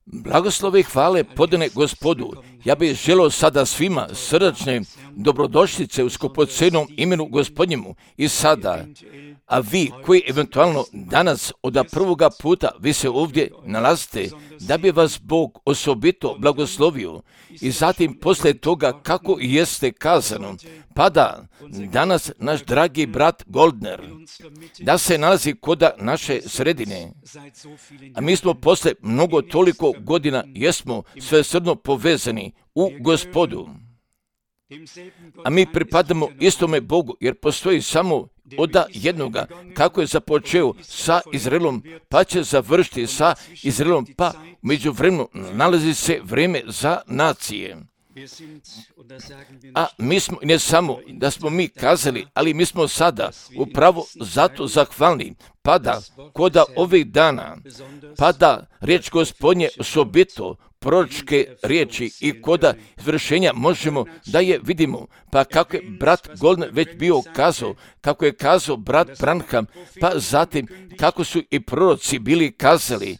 Blagoslove i hvale podane Gospodu. Ja bih želio sada svima srdačne dobrodošlice u skupocenom imenu Gospodnjemu i sada. A vi koji eventualno danas od prvoga puta vi se ovdje nalazite, da bi vas Bog osobito blagoslovio i zatim poslije toga kako jeste kazano, pa da danas naš dragi brat Goldner, da se nalazi kod naše sredine, a mi smo poslije mnogo toliko godina jesmo svesrdno povezani u Gospodu, a mi pripadamo istome Bogu jer postoji samo od jednoga, kako je započeo sa Izraelom, pa će završiti sa Izraelom, pa međuvremenu nalazi se vrijeme za nacije. A mi smo, ne samo da smo mi kazali, ali mi smo sada upravo zato zahvalni, pa da koda ovih dana, pa da riječ Gospodnje osobito proročke riječi i koda izvršenja možemo da je vidimo, pa kako je brat Goldner već bio kazao, kako je kazao brat Branham, pa zatim kako su i proroci bili kazali,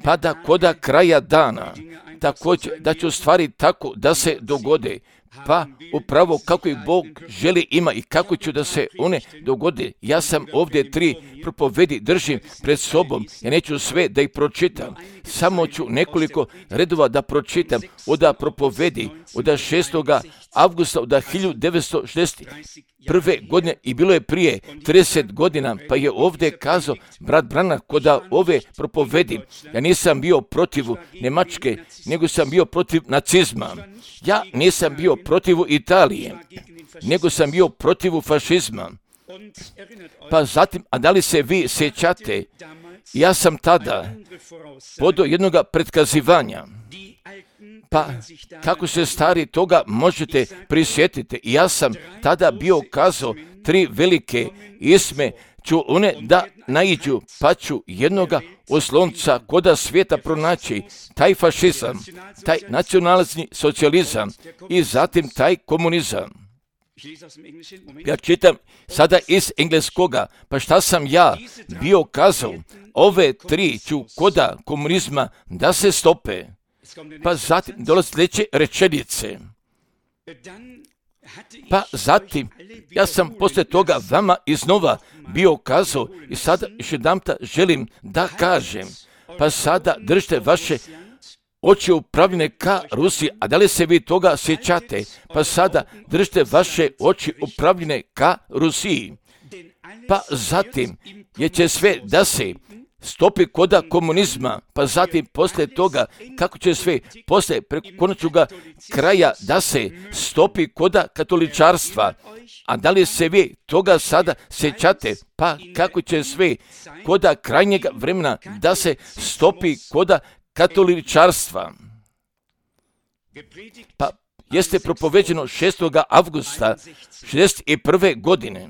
pa da koda kraja dana, također da će u stvari tako da se dogode, pa upravo kako i Bog želi ima i kako ću da se one dogode. Ja sam ovdje 3 propovedi držim pred sobom, ja neću sve da ih pročitam, samo ću nekoliko redova da pročitam od propovedi od 6. avgusta od 1961. godine i bilo je prije 30 godina, pa je ovdje kazao brat Branham kod ove propovedi, ja nisam bio protiv Njemačke, nego sam bio protiv nacizma. Ja nisam bio protiv Italije, nego sam bio protiv fašizma. Pa zatim, a da li se vi sjećate, ja sam tada podao jednog pretkazivanja, pa kako se stari toga možete prisjetiti. Ja sam tada bio kazao 3 velike isme ću one da naiđu, pa ću jednoga oslonca koda svijeta pronaći, taj fašizam, taj nacionalni socijalizam i zatim taj komunizam. Ja čitam sada iz engleskoga, pa šta sam ja bio kazao, ove 3 ću koda komunizma da se stope, pa zatim dolaze sljedeće rečenice. Pa zatim, ja sam poslije toga vama iznova bio kazao i sada još jedanputa želim da kažem, pa sada držite vaše oči upravljene ka Rusiji, a da li se vi toga sjećate, pa sada držite vaše oči upravljene ka Rusiji, pa zatim je će sve da se stopi koda komunizma, pa zatim poslije toga kako će sve poslije preko konačnoga kraja da se stopi koda katoličarstva. A da li se vi toga sada sjećate, pa kako će sve koda krajnjega vremena da se stopi koda katoličarstva. Pa jeste propoveđeno 6. avgusta 1961. godine.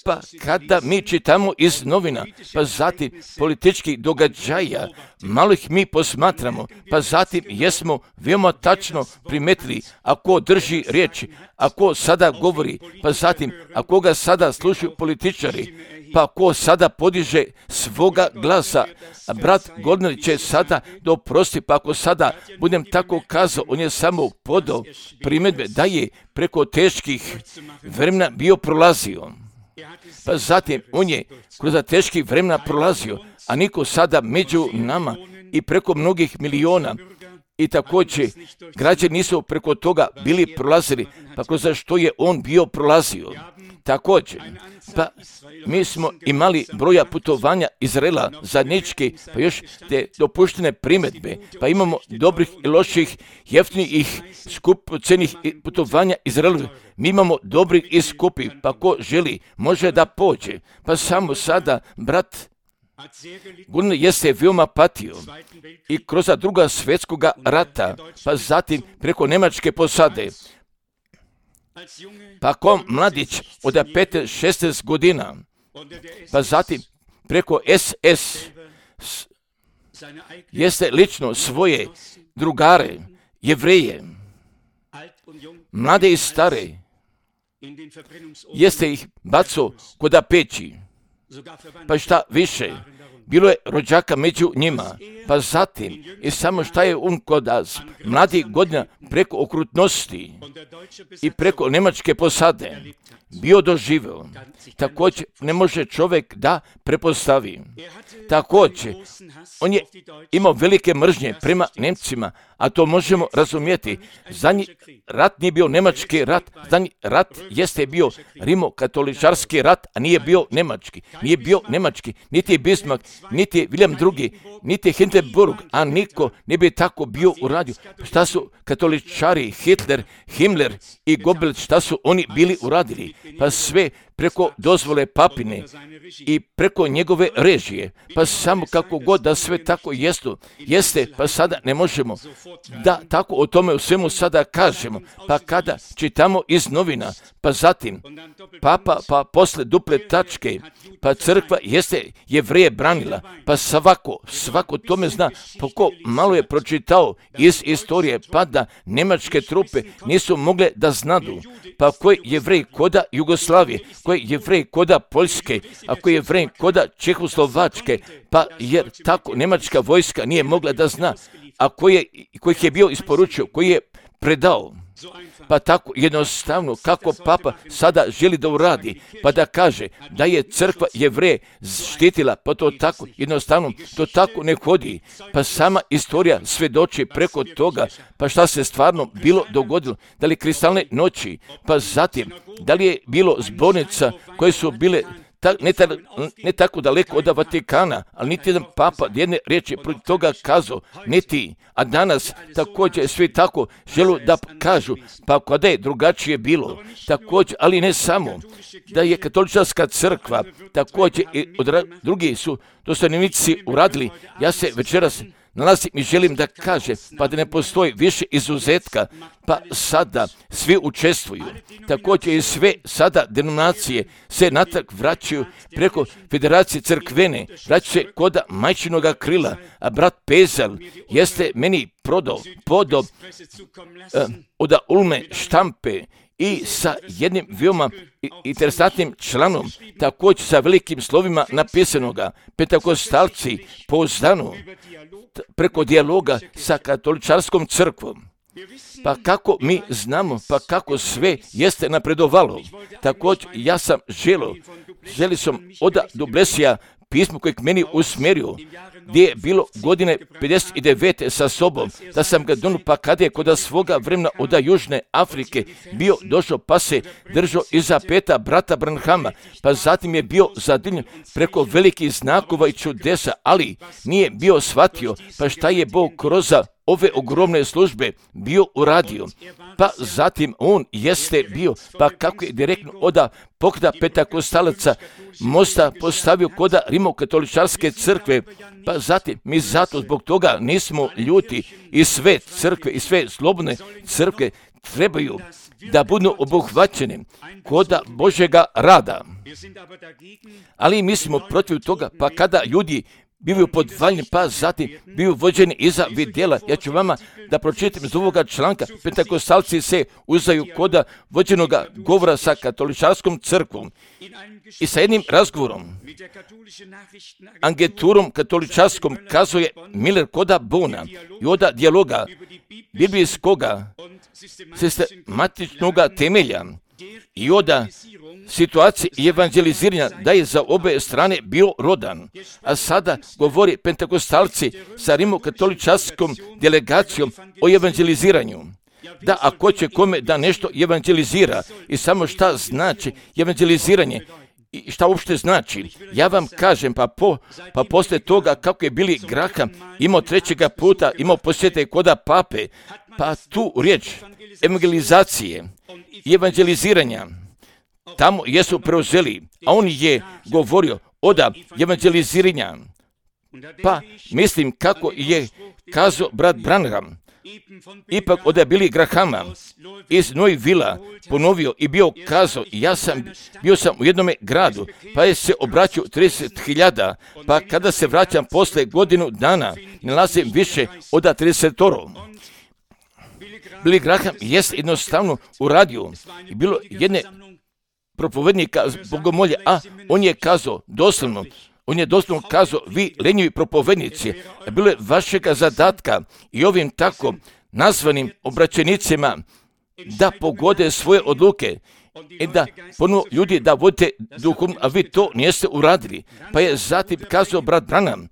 Pa kada mi čitamo iz novina, pa zatim političkih događaja, malo ih mi posmatramo, pa zatim jesmo veoma tačno primetili ako drži riječi, ako sada govori, pa zatim ako ga sada slušaju političari, pa ko sada podiže svoga glasa, a brat Goldner će sada doprosti, pa ako sada budem tako kazao, on je samo podao primjedbe da je preko teških vremena bio prolazio. Pa zatim on je kroz teških vremena prolazio, a niko sada među nama i preko mnogih miliona i također građani nisu preko toga bili prolazili, pa kroz što je on bio prolazio. Također, pa mi smo imali broja putovanja Izraela zajednički, pa još te dopuštene primjedbe, pa imamo dobrih i loših, jeftinih, skupocenih putovanja Izraelu. Mi imamo dobrih i skupih, pa ko želi može da pođe. Pa samo sada, brat Goldner jeste veoma patio i kroz druga svjetskoga rata, pa zatim preko Njemačke posade. Pa ko mladić od 15-16 godina, pa zatim preko SS jeste lično svoje drugare, Jevreje, mlade i stare, jeste ih bacao kod peći, pa šta više, bilo je rođaka među njima, pa zatim i samo šta je on kod mladih godina preko okrutnosti i preko njemačke posade bio doživio. Također ne može čovjek da prepostavi. Također, on je imao velike mržnje prema Nemcima, a to možemo razumjeti. Zadnji rat nije bio nemački rat, zadnji rat jeste bio rimokatoličarski rat, a nije bio nemački. Nije bio nemački, niti Bismarck, niti William II, niti Hindenburg, a niko ne bi tako bio uradio. Šta su katoličari, Hitler, Himmler i Goebbels, šta su oni bili uradili? Pa sve preko dozvole papine i preko njegove režije, pa samo kako god da sve tako jeste, pa sada ne možemo da tako o tome u svemu sada kažemo, pa kada čitamo iz novina, pa zatim papa, pa posle duple tačke, pa crkva jeste Jevreje branila, pa svako tome zna, pa ko malo je pročitao iz istorije, pa da nemačke trupe nisu mogle da znadu, pa koji Jevrej koda Jugoslavije, koji Jevrej koda Poljske, a koji Jevrej koda Čehoslovačke, pa jer tako nemačka vojska nije mogla da zna, a kojih je bio isporučio, koji je predao. Pa tako jednostavno kako papa sada želi da uradi, pa da kaže da je crkva Jevreje štitila, pa to tako jednostavno, to tako ne hodi. Pa sama istorija svedoči preko toga, pa šta se stvarno bilo dogodilo, da li kristalne noći, pa zatim, da li je bilo zbornica koje su bile ne tako daleko od Vatikana, ali niti jedan papa jedne riječi protiv toga kazao, niti, a danas također svi tako želu da kažu, pa kada je drugačije bilo, također, ali ne samo, da je katoličarska crkva, također i drugi su dostojnici uradili, ja se večeras nalazim i želim da kaže, pa da ne postoji više izuzetka, pa sada svi učestvuju. Također i sve sada denominacije se natrag vraćaju preko Federacije crkvene, vraćaju se kod majčinoga krila, a brat Pezel jeste meni podao od Ulme štampe i sa jednim veoma interesantnim članom, također sa velikim slovima napisanoga, Pentakostalci pouzdano preko dijaloga sa katoličarskom crkvom. Pa kako mi znamo, pa kako sve jeste napredovalo. Također ja sam želio sam od Dublesija pismo kojeg meni usmjerio, gdje je bilo godine 59. sa sobom, da sam ga donio, pa kada je kod svoga vremena od Južne Afrike bio došao, pa se držao iza peta brata Branhama, pa zatim je bio zadivljen preko velikih znakova i čudesa, ali nije bio shvatio, pa šta je Bog kroz ove ogromne službe bio uradio. Pa zatim on jeste bio, pa kako je direktno od pokreta Pentakostalaca mosta postavio kod rimokatoličarske crkve, pa zatim mi zato zbog toga nismo ljuti i sve crkve i sve slobodne crkve trebaju da budu obuhvaćene kod Božjega rada. Ali mi smo protiv toga, pa kada ljudi bivaju podvaljeni, pa zatim bivaju vođeni iza vidjela. Ja ću vama da pročitam iz ovoga članka. Pentakostalci se uzaju kod vođenoga govora sa katoličarskom crkvom i sa jednim razgovorom. Agenturom katoličarskom kazuje Miller koda Bona i od dijaloga biblijskoga sistematičnoga temelja i od situacije i evanđeliziranja da je za obe strane bio rodan. A sada govori Pentakostalci sa rimokatoličarskom delegacijom o evanđeliziranju. Da ako će kome da nešto evanđelizira i samo šta znači evanđeliziranje i šta uopšte znači. Ja vam kažem, pa posle toga kako je Billy Graham imao trećega puta, imao posjete koda pape, pa tu riječ evangelizacije i evanđeliziranja tamo jesu preuzeli, a on je govorio od evanđeliziranja. Pa mislim kako je kazao brat Branham, ipak od Billy Grahama iz Louisvillea ponovio i bio kazao, bio sam u jednome gradu, pa je se obraćao 30.000, pa kada se vraćam posle godinu dana, nalazim više od 30. Billy Graham je jednostavno uradio i bilo jedne propovednika bogomolje, a on je kazao doslovno, On je doslovno kazao, vi lenjivi propovednici, bilo je vašega zadatka i ovim tako nazvanim obraćenicima da pogode svoje odluke i da ponovno ljudi da vodite duhom, a vi to niste uradili. Pa je zatim kazao brat Branham,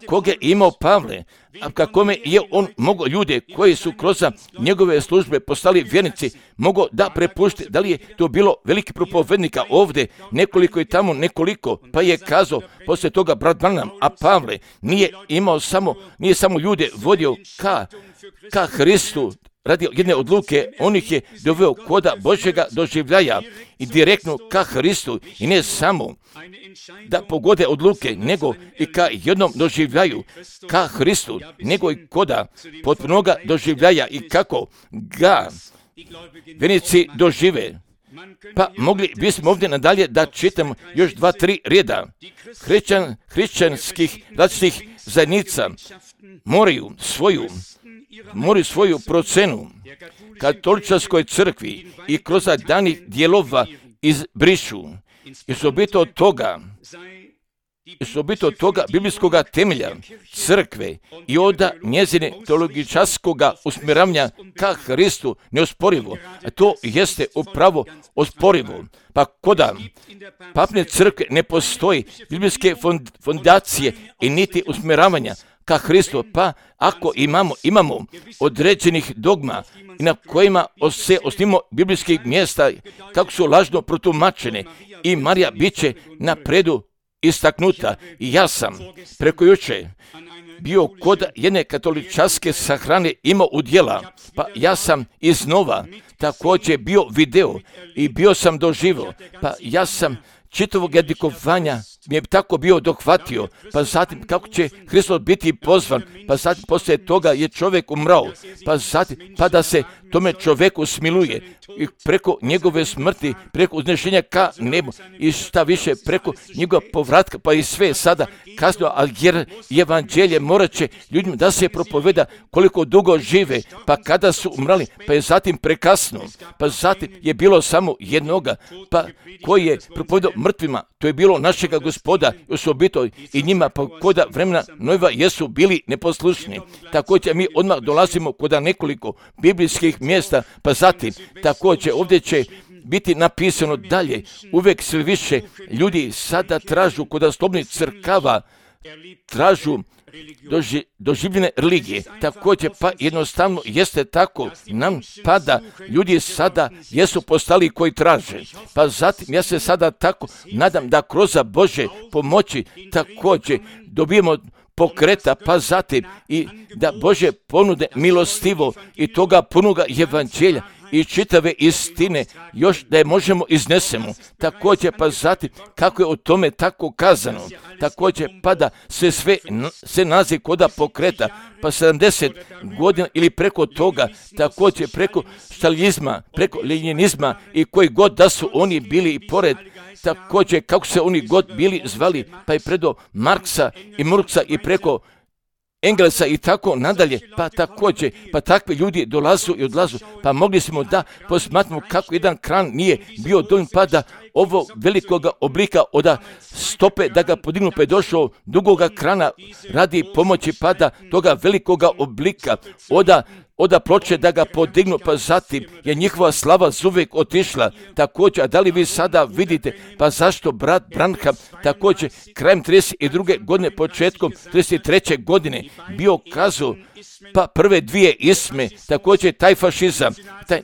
koga je imao Pavle, a kakome je on mogao ljude koji su kroz njegove službe postali vjernici, mogao da prepušti, da li je to bilo veliki propovednika ovdje, nekoliko i tamo nekoliko, pa je kazao poslije toga brat Branham, a Pavle nije samo ljude vodio ka Hristu, radi jedne odluke, on ih je doveo koda Božjega doživljaja i direktno ka Hristu i ne samo da pogode odluke, nego i ka jednom doživljaju ka Hristu, nego i koda potpunoga doživljaja i kako ga vjernici dožive. Pa mogli bismo ovdje nadalje da čitamo još 2-3 reda. Hrišćanskih različitih zajednica moraju svoju procenu katoličarskoj crkvi i kroz danih dijelova izbrišu. I osobito toga biblijskog temelja crkve i onda njezine teologičarskog usmjeravanja ka Hristu neosporivo. A to jeste upravo osporivo. Pa koda papne crkve ne postoji biblijske fondacije i niti usmjeravanja ka Hristu, pa ako imamo određenih dogma i na kojima se osnimo biblijskih mjesta kako su lažno protumačene i Marija bit će na predu istaknuta. I ja sam preko juče bio kod jedne katoličarske sahrane imao udjela, pa ja sam iznova također bio video i bio sam doživio, pa ja sam čitavog jadikovanja mi je tako bio dohvatio, pa zatim kako će Hristos biti pozvan, pa zatim poslije toga je čovjek umrao, pa zatim pa da se tome čovjeku smiluje i preko njegove smrti, preko uznešenja ka nebu i šta više preko njegova povratka, pa i sve sada kasno, ali jer evanđelje morat će ljudima da se propoveda koliko dugo žive, pa kada su umrali, pa je zatim prekasno, pa zatim je bilo samo jednoga, pa koji je propovedao mrtvima, to je bilo našega Gospoda i osobito i njima pa koda vremena Nojeva jesu bili neposlušni. Također mi odmah dolazimo koda nekoliko biblijskih mjesta, pa zatim također ovdje će biti napisano dalje, uvijek sve više ljudi sada tražu kod slobodnih crkava, tražu doživljene religije. Također pa jednostavno jeste tako, nam pada, ljudi sada jesu postali koji traže. Pa zatim ja se sada tako nadam da kroz Bože pomoći također dobijemo pokreta, pa zatim i da Bože ponude milostivo i toga punoga evanđelja i čitave istine još da je možemo iznesemo. Također pa zatim kako je o tome tako kazano. Također pa da se nazi koda pokreta pa 70 godina ili preko toga, također preko štalijizma, preko lenjinizma i koji god da su oni bili i pored, također kako se oni god bili zvali, pa i predo Marksa i Murksa i preko Englesa i tako nadalje, pa također, pa takvi ljudi dolazu i odlazu, pa mogli smo da posmatramo kako jedan kran nije bio dovoljno pa da ovo velikoga oblika od stope da ga podignu pa je došao dugoga krana radi pomoći pada toga velikoga oblika od ploče da ga podignu, pa zatim je njihova slava zuvijek otišla. Također, a da li vi sada vidite, pa zašto brat Branham također krajem 32. godine, početkom 33. godine bio kazao, pa prve dvije isme, također taj fašizam, taj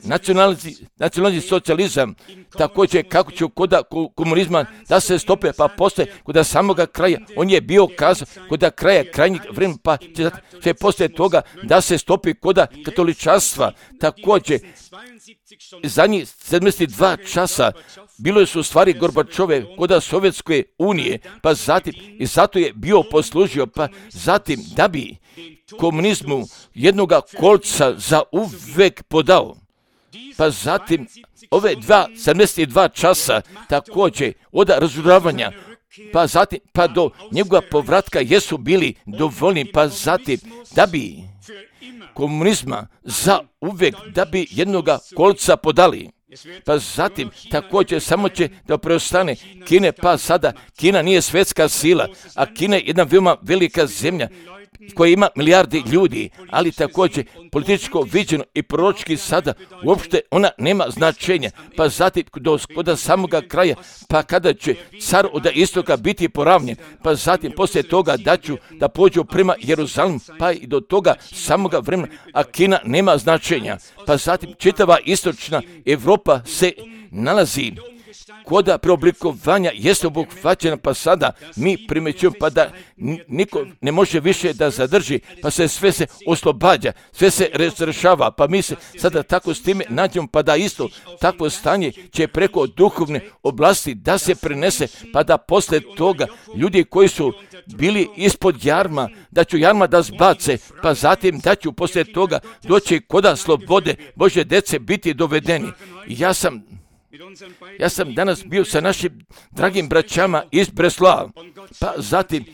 nacionalni socijalizam, također kako će kod komunizma da se stope, pa poslije kod samoga kraja, on je bio kazao kod kraja krajnjeg vremena, pa će poslije toga da se stopi kod katoličarstva, također zadnjih 72 časa bilo su stvari Gorbačove kod Sovjetske unije, pa zatim i zato je bio poslužio, pa zatim da bi komunizmu jednoga kolca za uvek podao. Pa zatim ove 72 časa također od razoružavanja, pa zatim pa do njegova povratka jesu bili dovoljni, pa zatim da bi komunizma za uvijek da bi jednoga kolca podali. Pa zatim također samo će da preostane Kine, pa sada Kina nije svjetska sila, a Kina je jedna veoma velika zemlja koja ima milijardi ljudi, ali također političko viđeno i proročki sada uopšte ona nema značenja. Pa zatim do samoga kraja, pa kada će car od istoka biti poravnjen, pa zatim poslije toga da pođu prema Jeruzalemu, pa i do toga samoga vremena, a Kina nema značenja. Pa zatim čitava istočna Evropa se nalazi koda preoblikovanja jeste obuhvaćena, pa sada mi primjećujemo pa da niko ne može više da zadrži, pa sve se oslobađa, sve se razrešava, pa mi se sada tako s time nađemo, pa da isto takvo stanje će preko duhovne oblasti da se prenese, pa da poslije toga ljudi koji su bili ispod jarma, da ću jarma da zbace, pa zatim da ću poslije toga doći koda slobode Božje djece biti dovedeni. Ja sam danas bio sa našim dragim braćama iz Breslava, pa zatim,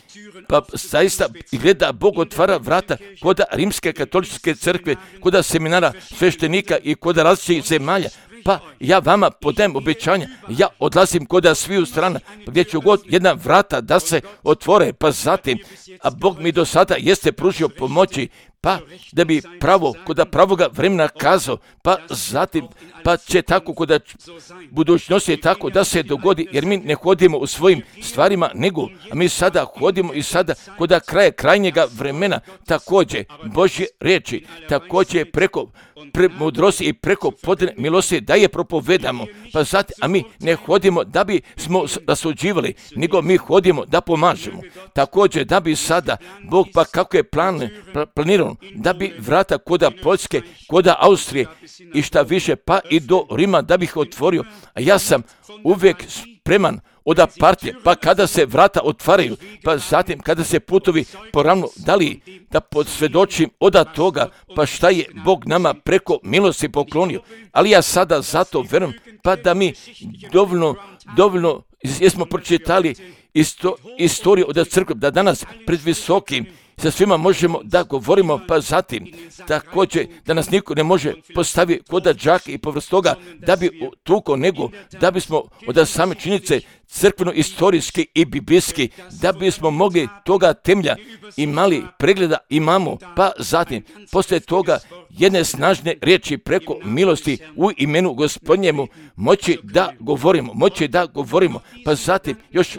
pa zaista gleda Bog otvara vrata koda Rimske katoličke crkve, koda seminara sveštenika i koda različitih zemalja. Pa ja vama podajem obećanja, ja odlazim koda sviju strana, gdje ću god jedna vrata da se otvore, pa zatim, a Bog mi do sada jeste pružio pomoći, pa da bi koda pravoga vremena kazao, pa zatim, pa će tako koda budućnosti je tako da se dogodi, jer mi ne hodimo u svojim stvarima, nego, a mi sada hodimo i sada koda krajnjega vremena, također Božje riječi, također preko mudrosti i preko podane milosti da je propovedamo, pa zatim, a mi ne hodimo da bi smo rasuđivali, nego mi hodimo da pomažemo. Također da bi sada Bog, pa kako je planirano, da bi vrata koda Poljske, koda Austrije i šta više, pa i do Rima da bih otvorio, a ja sam uvijek spreman od partije, pa kada se vrata otvaraju, pa zatim kada se putovi poravno, da li da posvjedočim od toga, pa šta je Bog nama preko milosti poklonio, ali ja sada zato verujem, pa da mi dovoljno jesmo pročitali istoriju od crkve, da danas pred visokim sa svima možemo da govorimo, pa zatim također da nas niko ne može postaviti koda džake i povrst toga da bi tuko, nego da bismo od same činjenice crkveno-istorijski i biblijski, da bismo mogli toga temelja imali pregleda imamo, pa zatim poslije toga jedne snažne riječi preko milosti u imenu Gospodnjemu moći da govorimo, pa zatim još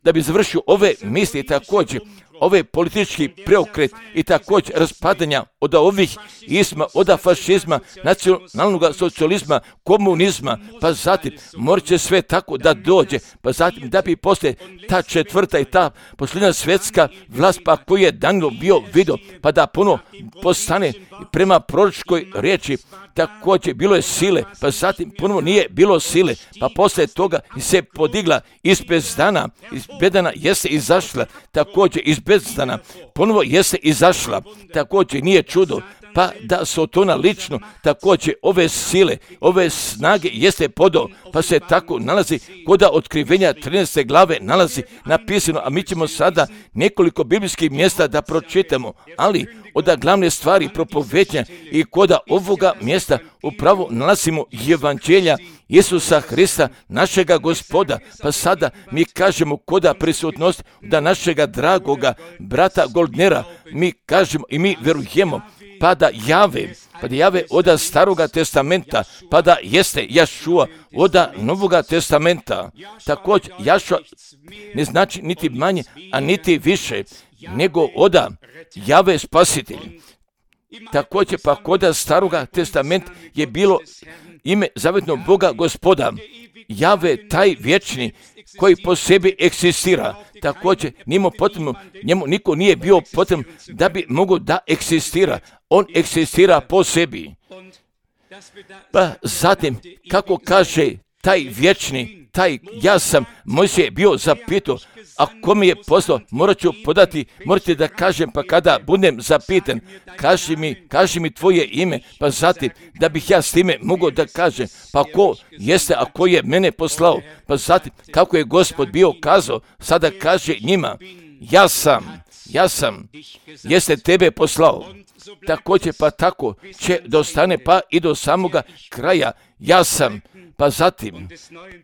da bi završio ove misli također, ove politički preokret i također raspadanja od ovih isma, od fašizma, nacionalnog socijalizma, komunizma, pa zatim morat će sve tako da dođe, pa zatim da bi poslije ta četvrta i ta posljednja svjetska vlast, pa koju je Danilo bio vidio, pa da puno postane prema proročkoj riječi, također bilo je sile, pa zatim ponovo nije bilo sile, pa poslije toga se podigla iz bezdana, iz bedana jeste izašla, također iz bezdana ponovo jeste izašla, također nije čudo, pa da Sotona lično također ove sile, ove snage jeste podao, pa se tako nalazi koda otkrivenja 13. glave nalazi napisano, a mi ćemo sada nekoliko biblijskih mjesta da pročitamo, ali od glavne stvari propovednja i koda ovoga mjesta upravo nalazimo evanđelja Isusa Hrista, našega Gospoda, pa sada mi kažemo koda prisutnost da našega dragoga brata Goldnera, mi kažemo i mi verujemo, pa da jave od staroga testamenta, pa da jeste Jašua od novoga testamenta. Također Jašua ne znači niti manje, a niti više, nego od jave spasitelj. Također pa kod staroga testamenta je bilo ime zavetnog Boga Gospoda, Jave taj vječni koji po sebi eksistira. Također njemu niko nije bio potreban da bi mogao da eksistira. On eksistira po sebi. Pa zatim, kako kaže taj vječni, ja sam, Mojsije je bio zapitao, a ko mi je poslao, morate da kažem, pa kada budem zapitan, kaži mi tvoje ime, pa zatim, da bih ja s time mogao da kažem, pa ko jeste, a ko je mene poslao, pa zatim, kako je Gospod bio kazao, sada kaže njima, ja sam, jeste tebe poslao. Također pa tako će dostane pa i do samoga kraja, ja sam. Pa zatim,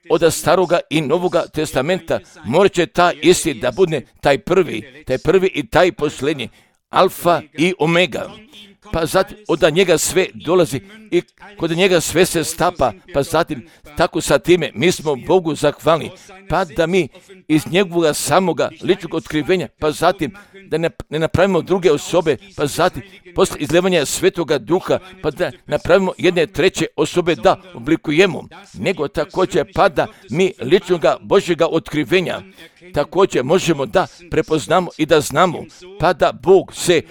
od staroga i novoga testamenta morat će ta isti da bude taj prvi i taj posljednji, alfa i omega. Pa zatim od njega sve dolazi i kod njega sve se stapa, pa zatim tako sa time mi smo Bogu zahvalni, pa da mi iz njegovog samoga ličnog otkrivenja, pa zatim da ne napravimo druge osobe, pa zatim posle izlevanja Svetoga Duha, pa da napravimo jedne treće osobe da oblikujemo, nego također pa da mi ličnoga Božjega otkrivenja također možemo da prepoznamo i da znamo, pa da Bog se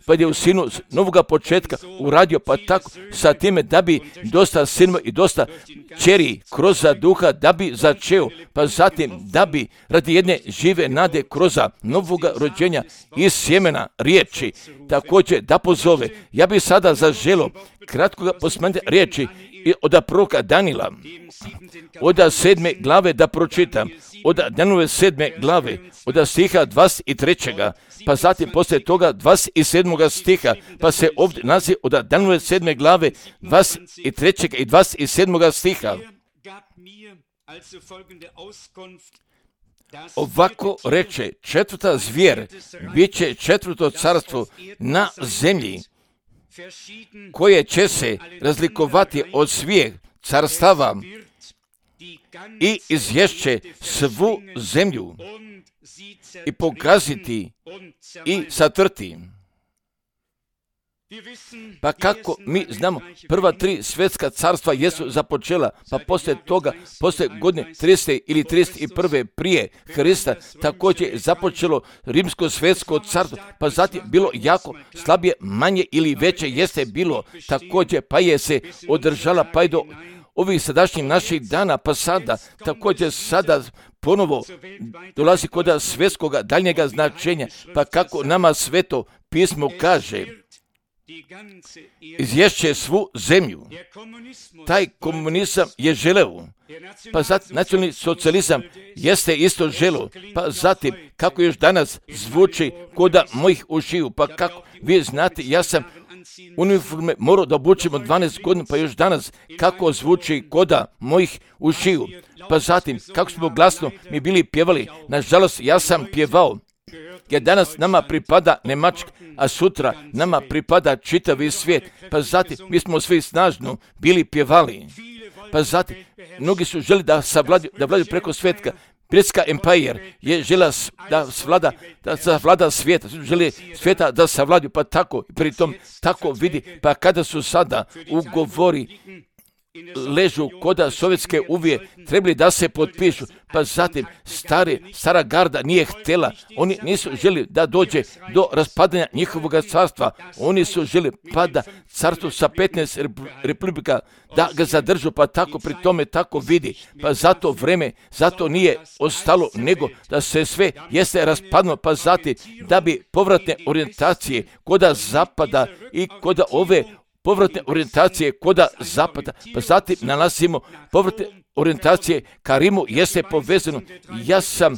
pa je u sinu novoga početka uradio, pa tako sa time da bi dosta sinova i dosta čeri kroz duha da bi začeo, pa zatim da bi radi jedne žive nade kroz novoga rođenja iz sjemena riječi također da pozove. Ja bih sada zaželio kratkoga posmatranja riječi od proroka Danila, od 7. glave da pročitam, od Danilove 7. glave, od stiha 23. pa zatim poslije toga 27. stiha, pa se ovdje naziv od Danilove 7. glave 23. i 27. stiha. Ovako reče, četvrta zvijer, bit će četvrto carstvo na zemlji, koje će se razlikovati od svih carstava i izješće svu zemlju i pogaziti i satrti. Pa kako mi znamo, prva 3 svjetska carstva jesu započela, pa poslije toga, poslije godine 30. ili 31. prije Hrista, također je započelo rimsko svjetsko carstvo, pa zatim bilo jako slabije, manje ili veće jeste bilo, također pa je se održala pa i do ovih sadašnjih naših dana, pa sada, također sada ponovo dolazi kod svjetskoga daljnjega značenja, pa kako nama Sveto pismo kaže, izješće svu zemlju. Taj komunizam je želeo, pa zatim nacionalni socijalizam jeste isto želeo, pa zatim kako još danas zvuči kod mojih ušiju, pa kako vi znate, ja sam uniforme morao da obučim od 12 godina, pa još danas kako zvuči kod mojih ušiju, pa zatim kako smo glasno mi bili pjevali, nažalost ja sam pjevao, jer danas nama pripada Njemačka, a sutra nama pripada čitavi svijet, pa zatim mi smo svi snažno bili pjevali, pa zatim mnogi su želi da vladaju preko svijetka. Britska empire je žela da savlada svijeta, želi svijeta da savladaju, pa tako, pritom tako vidi, pa kada su sada ugovori ležu koda sovjetske uvije, trebali da se potpišu, pa zatim stara garda nije htjela, oni nisu želi da dođe do raspadanja njihovog carstva, oni su želi pa da carstvo sa 15 republika da ga zadržu, pa tako pri tome tako vidi, pa zato vreme, zato nije ostalo nego da se sve jeste raspadno, pa zatim da bi povratne orijentacije koda zapada i koda ove povratne orijentacije koda zapada, pa zatim nalazimo povratne orijentacije ka Rimu jeste povezano. Ja sam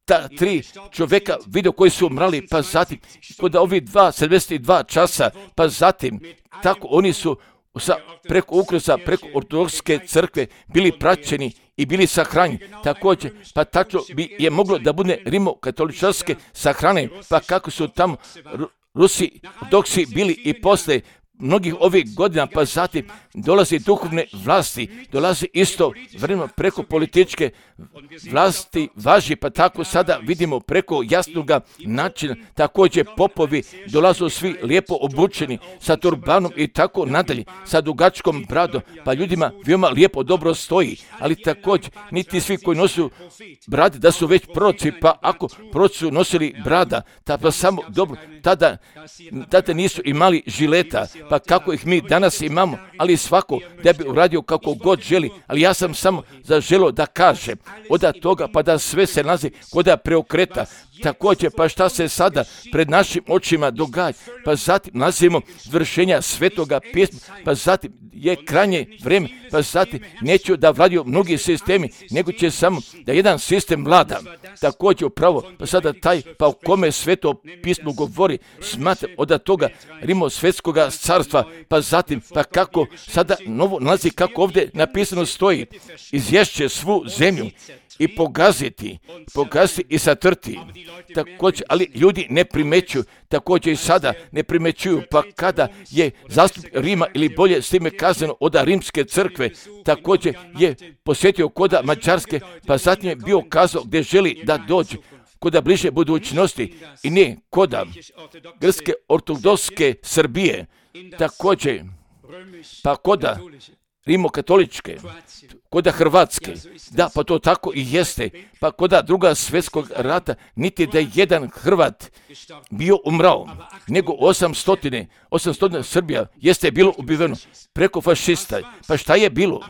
ta 3 čovjeka vidio koji su umrali, pa zatim kod ovih 72 časa, pa zatim tako oni su preko ukrosa, preko ortodokske crkve bili praćeni i bili sahranjeni. Također, pa tačno bi je moglo da bude rimokatoličarske sahrane, pa kako su tamo Rusi, ortodoksi bili i posle mnogih ovih godina, pa zatim dolazi duhovne vlasti, dolazi isto vremeno preko političke vlasti važi, pa tako sada vidimo preko jasnoga načina, također popovi dolazu svi lijepo obučeni sa turbanom i tako nadalje, sa dugačkom bradom, pa ljudima veoma lijepo dobro stoji, ali također niti svi koji nosu brade da su već proroci, pa ako proroci su nosili brada, pa samo dobro, tada nisu imali žileta, pa kako ih mi danas imamo, ali svako da bi uradio kako god želi, ali ja sam samo zaželio da kažem od toga pa da sve se nalazi kod preokreta. Također, pa šta se sada pred našim očima događa, pa zatim nalazimo vršenja Svetoga pisma, pa zatim je krajnje vrijeme, pa zatim neću da vladaju mnogi sistemi, nego će samo da jedan sistem vlada. Također upravo, pa sada taj, pa o kome Sveto pismo govori, smatra od toga Rimosvetskoga carstva, pa zatim, pa kako sada novo nalazi, kako ovdje napisano stoji, izješće svu zemlju i pogaziti i satrti. Također, ali ljudi ne primećuju, također i sada ne primećuju, pa kada je zastupnik Rima ili bolje s time kazano od Rimske crkve, također je posjetio koda Mađarske, pa zatim je bio kazao gdje želi da dođe koda bliže budućnosti i ne koda grčke ortodokske Srbije, također pa koda rimokatoličke, koda Hrvatske, da, pa to tako i jeste, pa koda Drugog svjetskog rata, niti da je jedan Hrvat bio umrao, nego 800 Srbija jeste bilo ubiveno preko fašista. Pa šta je bilo?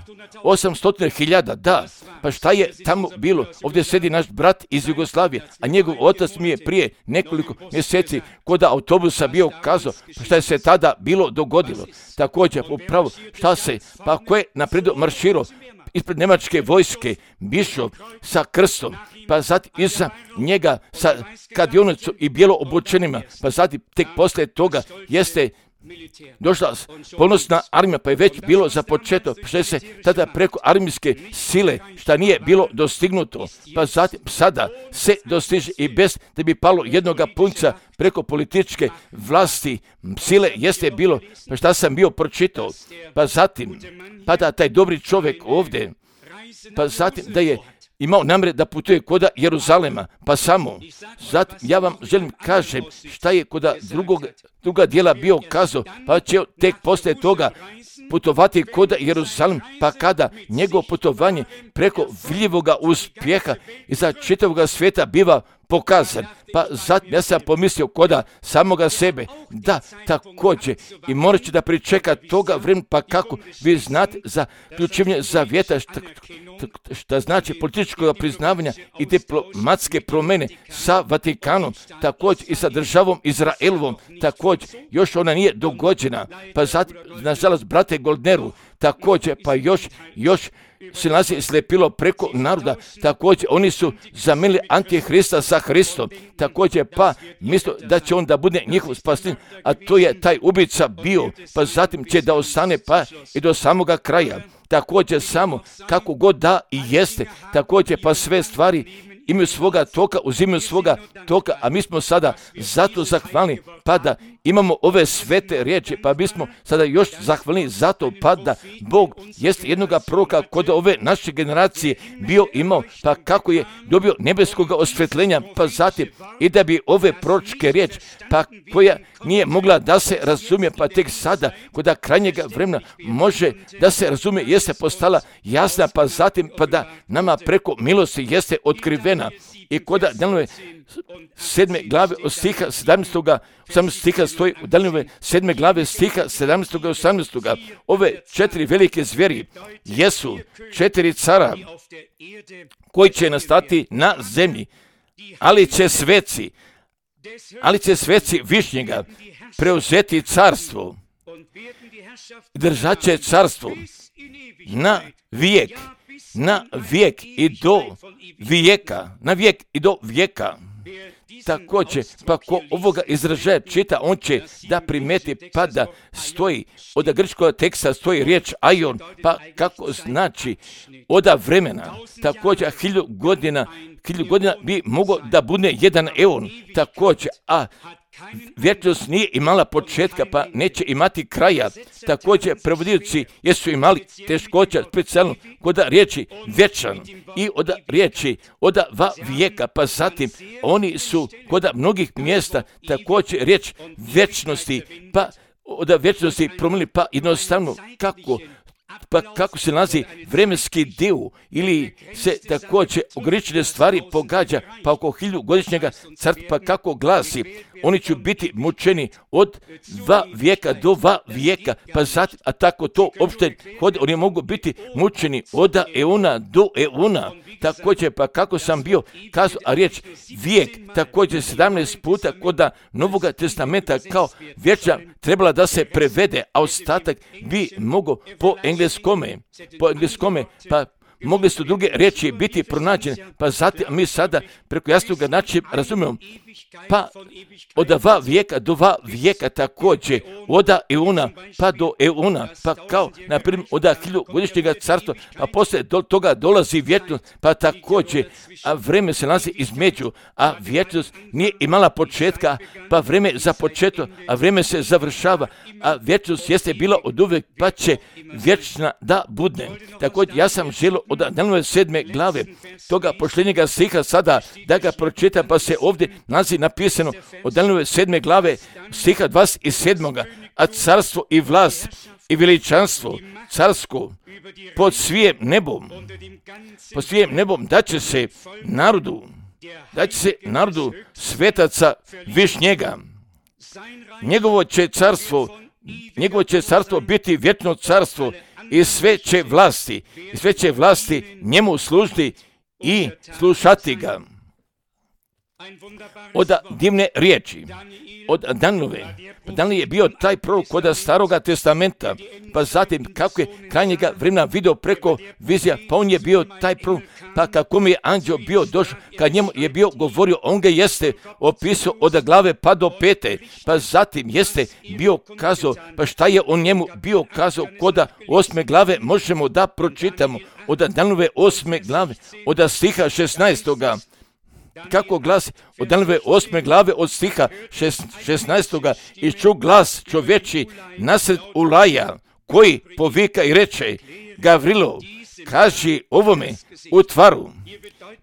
800.000, da, pa šta je tamo bilo? Ovdje sedi naš brat iz Jugoslavije, a njegov otac mi je prije nekoliko mjeseci kod autobusa bio kazao, pa šta je se tada bilo dogodilo. Također, upravo, šta se, pa ko je naprijed marširao ispred njemačke vojske, bišov sa krstom, pa zatim iza njega sa kadionicom i bijelo obučenima, pa zatim tek poslije toga jeste došla ponosna armija, pa je već bilo započeto, što se tada preko armijske sile, šta nije bilo dostignuto, pa zatim sada se dostiže i bez da bi palo jednoga punca preko političke vlasti, sile jeste bilo, pa šta sam bio pročitao, pa zatim, pa da taj dobri čovjek ovdje, pa zatim da je imao namjere da putuje koda Jeruzalema, pa samo. Zatim ja vam želim kažem šta je koda druga dijela bio kazao, pa će tek poslije toga putovati koda Jeruzalem, pa kada njegovo putovanje preko vidljivoga uspjeha i za čitavoga svijeta biva pokazan. Pa zatim ja sam pomislio koda samoga sebe, da također i morat će da pričeka toga vremena, pa kako vi znate za ključivanje zavjeta, šta znači političkog priznavanja i diplomatske promjene sa Vatikanom, također i sa državom Izraelovom, također još ona nije dogođena, pa zatim, nažalost, brate Goldneru, također, pa još se nalazi slepilo preko naroda, također oni su zamenili Antihrista sa Hristom, također pa misle da će on da bude njihov spasitelj, a to je taj ubica bio, pa zatim će da ostane pa i do samoga kraja, također samo kako god da i jeste, također pa sve stvari imaju svoga toka, uzimaju svoga toka, a mi smo sada zato zahvalni, pa da imamo ove svete riječi, pa bismo sada još zahvalni zato, pa da Bog jest jednoga proroka kod ove naše generacije bio imao, pa kako je dobio nebeskog osvjetljenja, pa zatim i da bi ove proročke riječi, pa koja nije mogla da se razumije, pa tek sada kod krajnjega vremena može da se razumije, jeste postala jasna, pa zatim pa da nama preko milosti jeste otkrivena. I kod Danielove 7. glave od stiha 17. stiha stoji u Danielove 7. glave stiha 17. i 18. Ove 4 velike zvijeri jesu 4 cara koji će nastati na zemlji, ali će sveci Višnjega preuzeti carstvo, držat će carstvo na vijek i do vijeka, Također, pa ko ovoga izražaja čita, on će da primeti, pa da stoji, od grčkog teksta stoji riječ aion, pa kako znači oda vremena. Također, 1000 godina bi moglo da bude jedan eon, također, a vječnost nije imala početka, pa neće imati kraja. Također, prevodioci jesu imali teškoća, specijalno kod riječi vječan i od riječi od vijeka, pa zatim oni su kod mnogih mjesta također riječ vječnosti, pa od vječnosti promijenili, pa jednostavno kako se nalazi vremenski dio ili se također ograničene stvari pogađa, pa oko 1000 godišnjega carstva, pa kako glasi oni će biti mučeni od 2 vijeka do 2 vijeka, pa zatim, a tako to opšte hode, oni mogu biti mučeni od euna do euna. Također, pa kako sam bio kazao, a riječ vijek, također 17 puta kod Novoga testamenta kao vječna trebala da se prevede, a ostatak bi mogao po engleskome, pa mogli su druge riječi biti pronađene, pa zatim mi sada preko jasnoga načina razumijemo, pa od 2 vijeka do 2 vijeka također, od euna pa do euna, pa kao, na primjer, od 1000-godišnjega carstva, pa poslije do toga dolazi vječnost, pa također, a vreme se nalazi između, a vječnost nije imala početka, pa vreme za početak, a vreme se završava, a vječnost jeste bila od uvijek, pa će vječna da budne. Također, ja sam želio od Danielove 7. glave, toga posljednjega stiha sada, da ga pročitam, pa se ovdje nalazi napisano od Danielove 7. glave, stiha 27. A carstvo i vlast i veličanstvo carsko pod svijem nebom daće se narodu svetaca višnjega. Njegovo će carstvo biti vječno carstvo i sve će vlasti njemu služiti i slušati ga. Od divne riječi, od Danielove. Daniel je bio taj prorok kod Staroga testamenta, pa zatim kako je krajnjega vremena vidio preko vizija, pa on je bio taj prorok, pa kako mi je anđeo bio došao, kad njemu je bio govorio, on ga jeste opisao od glave pa do pete, pa zatim jeste bio kazao, pa šta je on njemu bio kazao kod 8. glave, možemo da pročitamo od Danielove 8. glave, od stiha 16. Kako glasi od Danielove 8. glave od stiha 16. I ču glas čovječi nasred Ulaja, koji povika i reče, Gavrilo, kaži ovome u tvaru.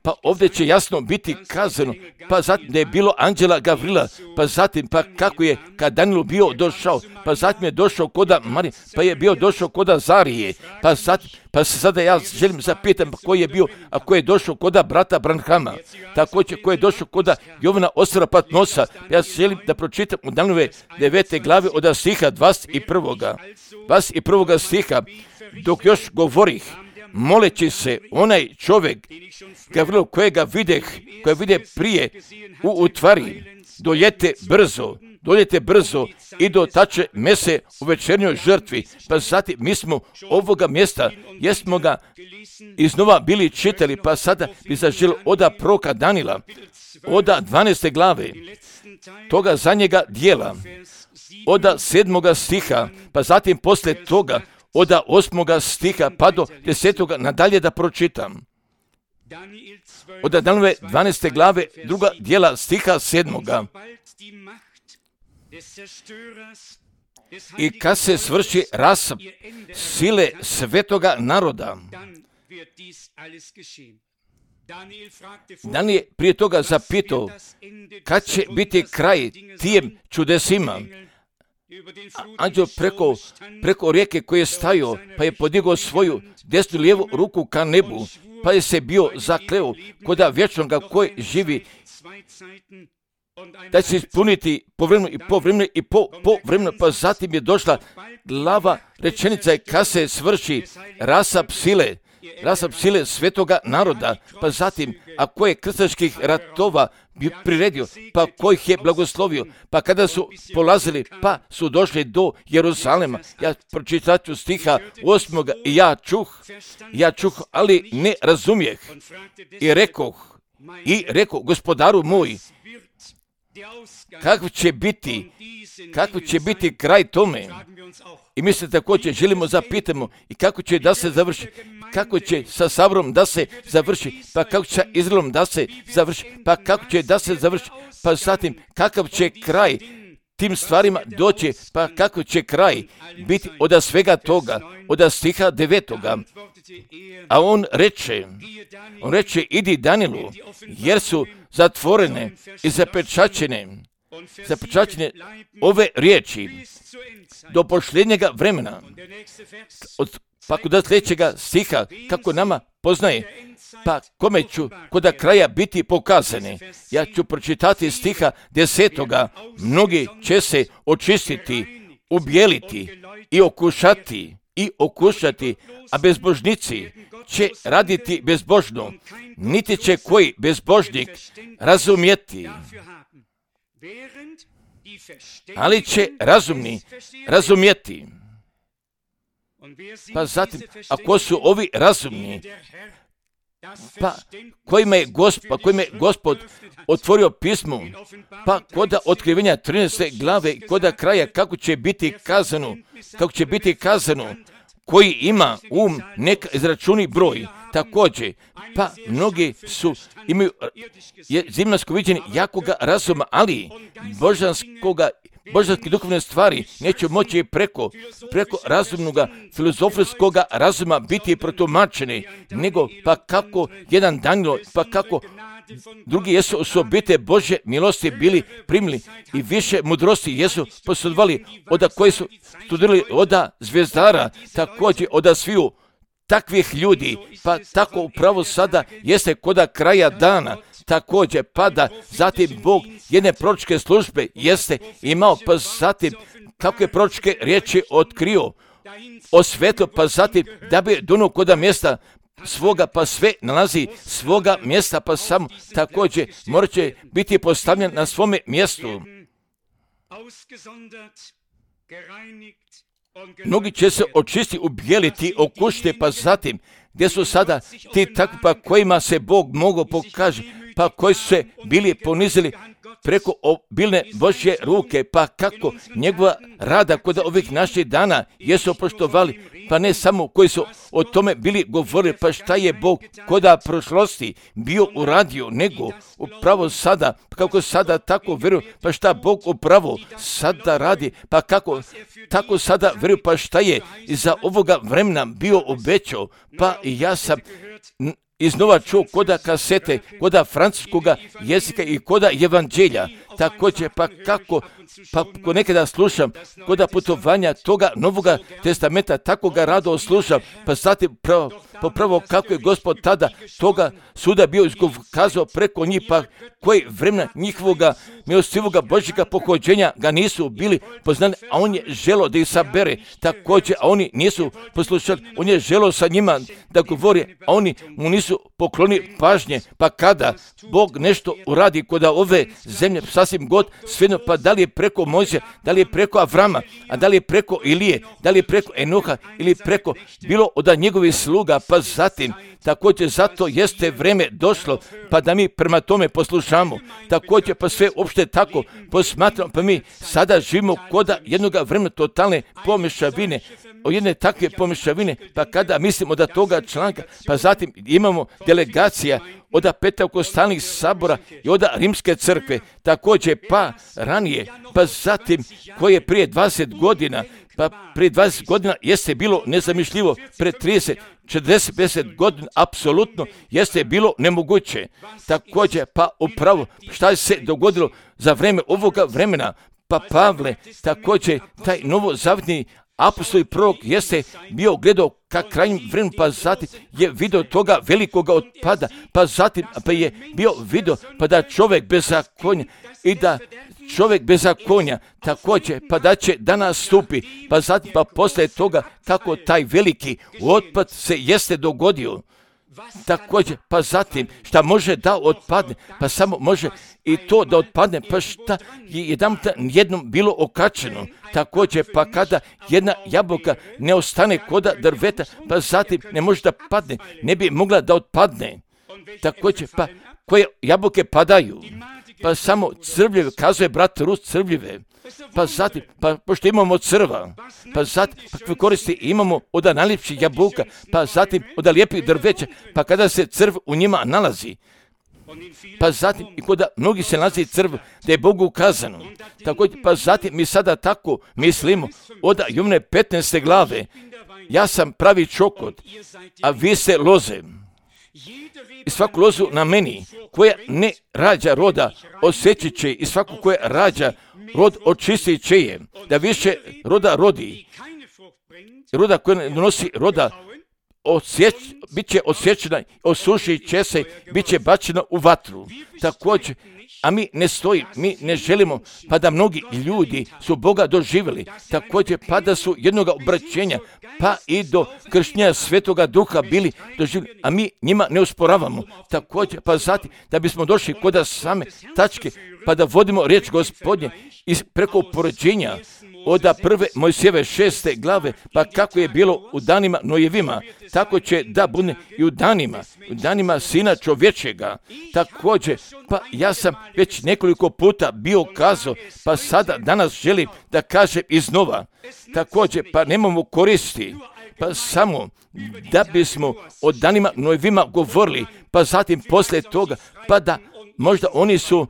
Pa ovdje će jasno biti kazano, pa zatim da je bilo anđela Gavrila, pa zatim pa kako je kad Danielu bio došao, pa zatim je došao koda Marije, pa je bio došao koda Zarije, pa se sada ja želim zapitam koji je bio, a koji je došao koda brata Branhama, također koji je došao koda Jovana Ostra Patmosa. Ja želim da pročitam u Danielove 9. glave od stiha 21. stiha, dok još govorih, moleći se onaj čovjek Gavrilo kojega vide prije u tvari, doljete brzo i dotače mese u večernjoj žrtvi. Pa zatim mi smo ovoga mjesta, jesmo ga iznova bili čitali, pa sada bi zaželi od proroka Daniela, od 12. glave, toga zadnjega dijela, od 7. stiha, pa zatim poslije toga, od 8. stiha pa do 10. nadalje da pročitam. Od Danielove 12. glave 2. dijela stiha 7. I kad se svrši rasap sile svetoga naroda, Daniel je prije toga zapitao kad će biti kraj tijem čudesima. Anđeo preko rijeke koji je stajao, pa je podigao svoju desnu lijevu ruku ka nebu, pa je se bio zakleo koda vječnoga koji živi, da će ispuniti povremeno i povremeno, pa zatim je došla glava rečenica kad se svrši rasap sile svetoga naroda, pa zatim, a koje krstaških ratova bi priredio, pa kojih je blagoslovio, pa kada su polazili, pa su došli do Jeruzalema. Ja pročitat ću stiha 8. I ja čuh, ali ne razumijeh. I rekoh, gospodaru moj, kako će biti kraj tome? I mi se također želimo zapitamo i kako će da se završi, kako će sa Saborom da se završi, pa kako će sa Izraelom da se završi, pa kako će da se završi, pa zatim kakav će kraj tim stvarima doći, pa kako će kraj biti od svega toga, od stiha 9. A on reče, idi Danielu, jer su zatvorene i zapečaćene ove riječi do posljednjega vremena. Pa kod sljedećega stiha, kako nama poznaje, pa kome ću koda kraja biti pokazane. Ja ću pročitati stiha 10. Mnogi će se očistiti, ubijeliti i okušati, a bezbožnici će raditi bezbožno, niti će koji bezbožnik razumjeti. Ali će razumni razumjeti. Pa zatim, ako su ovi razumni, pa kojima je Gospod otvorio pismo, pa koda otkrivenja 13. glave, koda kraja, kako će biti kazano, koji ima neka izračuni broj. Također, pa mnogi imaju zemaljsko viđenje jakoga razuma, ali božanske duhovne stvari neće moći preko razumnoga filozofijskoga razuma biti protumačene, nego pa kako jedan Danilo, pa kako drugi jesu osobite Božje milosti bili primili i više mudrosti jesu posjedovali od koji su studirali od zvijezdara, također od sviju takvih ljudi, pa tako upravo sada jeste koda kraja dana, također pada, zatim Bog jedne proročke službe jeste imao, pa zatim kakve proročke riječi otkrio o svetu, pa zatim da bi donuo koda mjesta svoga, pa sve nalazi svoga mjesta, pa samo također morat će biti postavljen na svome mjestu. Mnogi će se očistiti, ubijeliti, okušiti, pa zatim gdje su sada ti takvi, pa kojima se Bog mogao pokaže, pa koji su se bili ponizili preko obilne Božje ruke, pa kako njegova rada kod ovih naših dana jesu poštovali, pa ne samo koji su o tome bili govorili, pa šta je Bog koda prošlosti bio uradio, nego upravo sada, kako sada tako vjeruju, pa šta Bog upravo sada radi, pa kako tako sada vjeruju, pa šta je iza ovoga vremena bio obećao, pa ja sam iznova čuo koda kasete, koda francuskoga jezika i koda evanđelja. Također, pa kako, pa ko nekada slušam, koda putovanja toga Novoga testamenta, tako ga rado slušam, pa zatim popravo kako je Gospod tada toga suda bio izkazao preko njih, pa koji vremena njihovoga milostivoga Božjega pohođenja ga nisu bili poznali, a on je želio da ih sabere, također, a oni nisu poslušali, on je želio sa njima da govori, a oni mu nisu poklonili pažnje, pa kada Bog nešto uradi kod ove zemlje, sasvim god, svejedno, pa da li je preko Mojsija, da li je preko Avrama, a da li je preko Ilije, da li je preko Enoha ili preko bilo od njegovih sluga, pa zatim, također zato jeste vrijeme došlo, pa da mi prema tome poslušamo, također pa sve uopšte tako posmatramo, pa mi sada živimo koda jednog vremena totalne pomješavine, o jedne takve pomješavine, pa kada mislimo da toga članka, pa zatim imamo delegacija od Pentekostalnih sabora i od Rimske crkve, također pa ranije, pa zatim koje prije 20 godina, pa prije 20 godina jeste bilo nezamišljivo, pred 30, 40, 50 godina apsolutno jeste bilo nemoguće. Također pa upravo šta se dogodilo za vrijeme ovoga vremena, pa Pavle, također taj novozavjetni apostol i prorok jeste bio gledao ka krajnjem vremenu, pa zatim je vidio toga velikoga otpada, pa zatim pa je bio vidio pa da čovjek bez zakonja i da čovjek bez zakonja također pa da će da nastupi, pa zatim pa poslije toga kako taj veliki otpad se jeste dogodio. Također, pa zatim, šta može da otpadne, pa samo može i to da otpadne, pa šta je jednom bilo okačeno. Također, pa kada jedna jabuka ne ostane koda drveta, pa zatim ne može da padne, ne bi mogla da otpadne. Također, pa koje jabuke padaju, pa samo crvljive, kazuje brat Rus, crvljive. Pa zatim, pa pošto imamo crva, pa zatim, pa koristi imamo od najljepših jabuka, pa zatim od lijepih drveća, pa kada se crv u njima nalazi, pa zatim i kod mnogi se nalazi crv da je Bogu ukazano. Također, pa zatim mi sada tako mislimo od Jovne 15. glave, ja sam pravi čokot, a vi ste loze. I svaku lozu na meni, koja ne rađa roda, osjećit će, i svaku koja rađa rod očistit će je, da više roda rodi. Roda koja ne donosi roda, bit će osjećana, osušit će se, bit će bačena u vatru. Također, a mi ne stojimo, mi ne želimo, pa da mnogi ljudi su Boga doživjeli, također pa da su jednoga obraćenja, pa i do krštenja Svetoga Duha bili doživjeli, a mi njima ne usporavamo. Također, pa zatim da bismo došli kod same tačke, pa da vodimo riječ Gospodnje preko upoređenja od prve Mojsijeve 6. glave, pa kako je bilo u danima Nojevima, tako će da bude i u danima Sina čovječega. Također, pa ja sam već nekoliko puta bio kazao, pa sada danas želim da kažem iznova. Također, pa nemamo koristi, pa samo da bismo o danima Nojevima govorili, pa zatim poslije toga, pa da možda oni su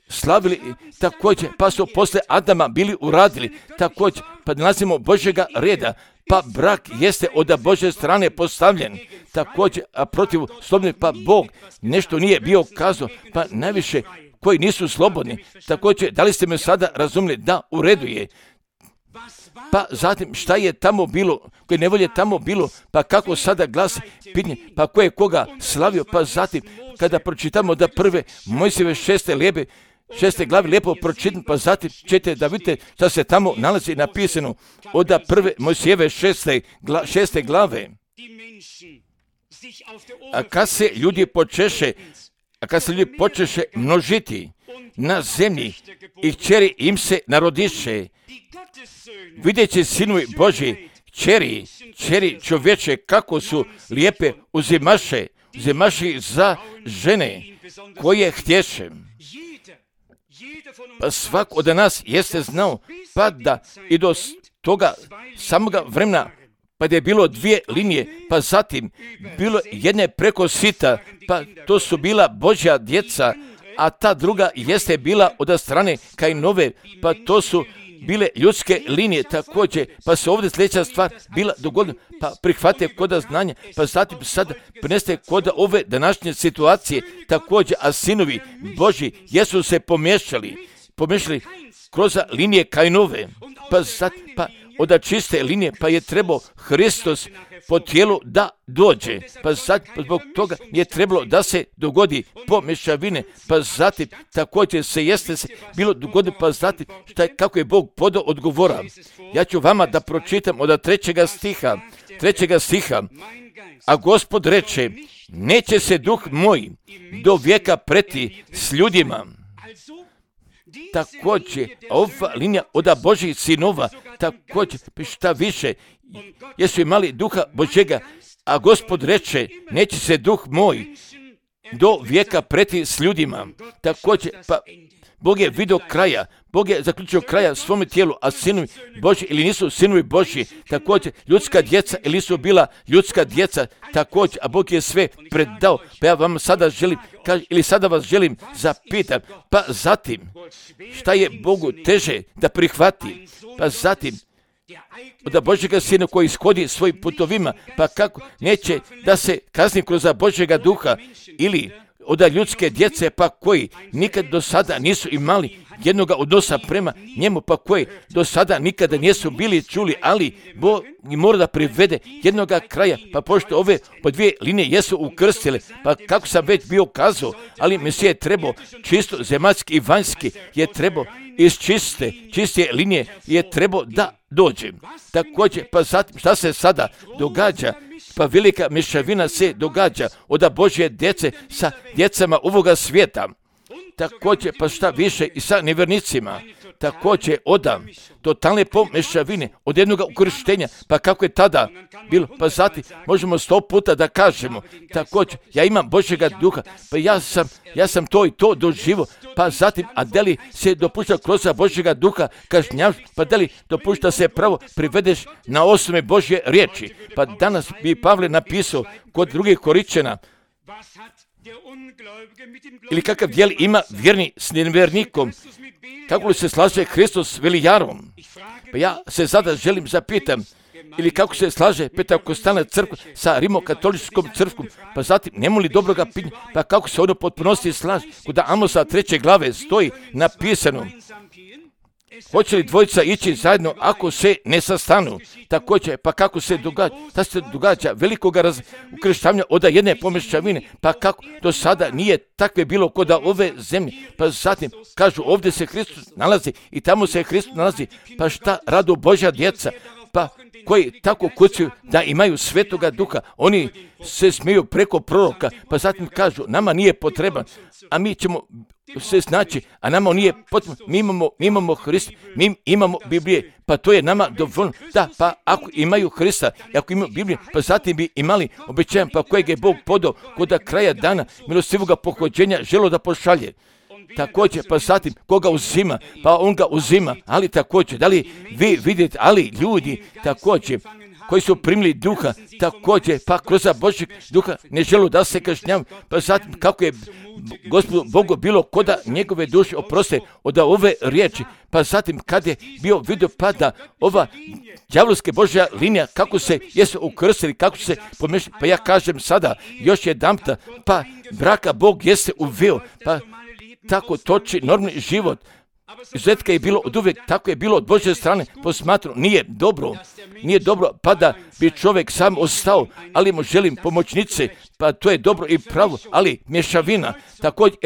slavili također, pa su poslije Adama bili uradili također, pa nalazimo Božjega reda, pa brak jeste od Božje strane postavljen također, a protiv slobodnih, pa Bog nešto nije bio kazao, pa najviše koji nisu slobodni. Također, da li ste me sada razumjeli? Da, u redu je. Pa zatim šta je tamo bilo, koje nevolje tamo bilo, pa kako sada glasi pitanje, pa ko je koga slavio, pa zatim kada pročitamo da prve Mojsijeve 6. glavi lijepo pročitam, pa zatim ćete da vidite šta se tamo nalazi napisano od prve Mojsijeve 6. glave. A kad se ljudi počeše množiti na zemlji i kćeri im se narodiše, vidjeći sinovi Božji, kćeri čovječe kako su lijepe uzimaše za žene koje htješe. Pa svak od nas jeste znao, pa da i do toga samoga vremena, pa da je bilo dvije linije, pa zatim bilo jedne preko sita, pa to su bila Božja djeca, a ta druga jeste bila od strane Kainove, pa to su bile ljudske linije također, pa se ovdje sljedeća stvar bila dogodila, pa prihvate koda znanja, pa zatim sad preneste koda ove današnje situacije također, a sinovi Božji jesu se pomiješali kroz linije Kainove, pa od čiste linije, pa je trebao Hristos po tijelu da dođe, pa zatim zbog toga je trebalo da se dogodi pomješavine, pa zatim također se bilo dogodilo, pa zatim kako je Bog podao odgovora. Ja ću vama da pročitam od 3. stiha, a Gospod reče, neće se duh moj do vijeka preti s ljudima. Također, ova linija od Božjih sinova, također, šta više, jesu imali duha Božjega, a Gospod reče, neće se duh moj do vijeka preti s ljudima. Također, pa Bog je vidio kraja, Bog je zaključio kraja svome tijelu, a sinovi Božji ili nisu sinovi Božji, također ljudska djeca ili nisu bila ljudska djeca, također, a Bog je sve predao. Pa ja vam sada želim, sada vas želim zapitam, pa zatim, šta je Bogu teže da prihvati, pa zatim, od Božjega Sina koji ishodi svojim putovima, pa kako neće da se kazni kroz Božjega Duha ili od ljudske djece, pa koji nikad do sada nisu imali jednoga odnosa prema njemu, pa koji do sada nikada nisu bili čuli, ali Bog mora da privede jednoga kraja, pa pošto ove po dvije linije jesu ukrstile, pa kako sam već bio kazao, ali Mesija je trebao čisto zemaljski i vanjski, je trebao iz čiste linije je trebao da dođe. Također, pa zatim šta se sada događa? Pa velika mješavina se događa od Božje djece sa djecama ovoga svijeta. Također, pa šta više i sa nevjernicima. Također, od totalne pomješavine, od jednog ukrštenja, pa kako je tada bilo, pa zatim možemo 100 puta da kažemo. Također, ja imam Božjega duha, pa ja sam to i to doživio, pa zatim, a da li se dopušta kroz Božjega duha kažnjavaš, pa da li dopušta se pravo privedeš na osnovi Božje riječi. Pa danas bi Pavle napisao kod drugih Korinčana, ili kakav dijel ima vjerni s nevjernikom, kako li se slaže Hristos s velijarom? Pa ja se sada želim zapitam, ili kako se slaže Pentekostalna crkva sa rimokatoličkom crkvom, pa zatim nema li dobroga pitanja, pa kako se ono potpunosti slaže? Kod Amosa 3. glave stoji napisano, Hoće li dvojica ići zajedno ako se ne sastanu? Također, pa kako se događa? Da se događa velikoga ukrštavanja od jedne pomešavine, pa kako do sada nije takve bilo kod ove zemlje. Pa zatim kažu ovdje se Hristos nalazi i tamo se Hristos nalazi. Pa šta radu Božja djeca? Pa koji tako kucaju da imaju Svetoga Duha, oni se smiju preko proroka, pa zatim kažu nama nije potreban, a mi ćemo se snaći, a nama nije potrebno, mi imamo Hrista, mi imamo Biblije, pa to je nama dovoljno. Da, pa ako imaju Hrista i ako imaju Biblije, pa zatim bi imali obećajan, pa kojeg je Bog podao kod kraja dana milostivoga pohođenja želo da pošalje. Također, pa zatim, koga uzima? Pa on ga uzima, ali također, da li vi vidite, ali ljudi također, koji su primili duha, također, pa kroz Božjeg duha ne želu da se kažnjavaju, pa zatim kako je Gospodu Bogu bilo koda njegove duše oproste od ove riječi, pa zatim kad je bio vidio pa da ova đavolska Božja linija, kako se jesu ukrstili, kako se pomešali, pa ja kažem sada, još jedanputa, pa braka Bog jeste uveo, pa tako toči normalni život. Izuzetka je bilo od uvijek, tako je bilo od Božje strane, posmatru, nije dobro, pa da bi čovjek sam ostao, ali mu želim pomoćnice, pa to je dobro i pravo, ali mješavina, također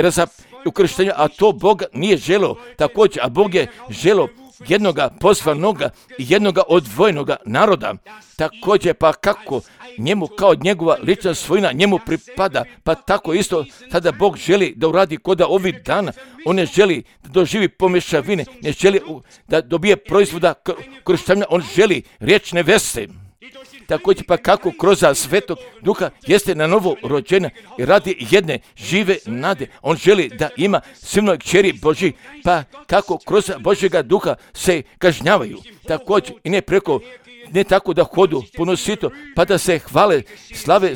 ukrštenja, a to Bog nije želeo, također, a Bog je želeo jednoga poslanoga i jednoga odvojenoga naroda, također, pa kako njemu kao njegova lična svojina njemu pripada, pa tako isto tada Bog želi da uradi koda ovih dana, on ne želi da doživi pomešavine, ne želi da dobije proizvoda krštavanja, on želi riječne veste. Također pa kako kroz Svetog Duha jeste na novo rođena i radi jedne žive nade. On želi da ima silnoj kćeri Božji, pa kako kroz Božjega Duha se kažnjavaju. Također i ne tako da hodu ponosito, pa da se hvale slave,